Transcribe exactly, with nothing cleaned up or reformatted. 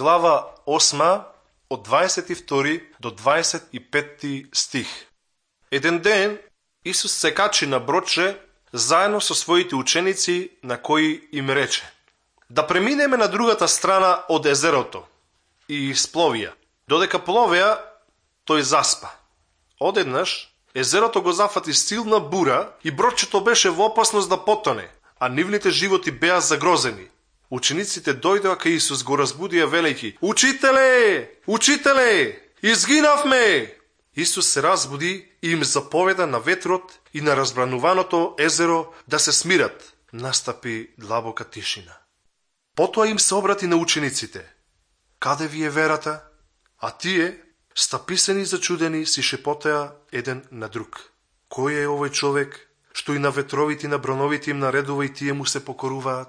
глава осма, од дваесет и втори до дваесет и петти стих. Еден ден Исус се качи на бродче заедно со своите ученици, на кои им рече: да преминеме на другата страна од езерото. И спловија. Додека пловеа, тој заспа. Одеднаш езерото го зафати силна бура и бродчето беше во опасност да потоне, а нивните животи беа загрозени. Учениците дојдоа кај Исус, го разбудија велејќи: Учителе! Учителе! Изгинавме! Исус се разбуди и им заповеда на ветрот и на разбрануваното езеро да се смират. Настапи длабока тишина. Потоа им се обрати на учениците: каде ви е верата? А тие, стаписани и зачудени, си шепотеа еден на друг: кој е овој човек, што и на ветровите и на броновите им наредува и тие му се покоруваат?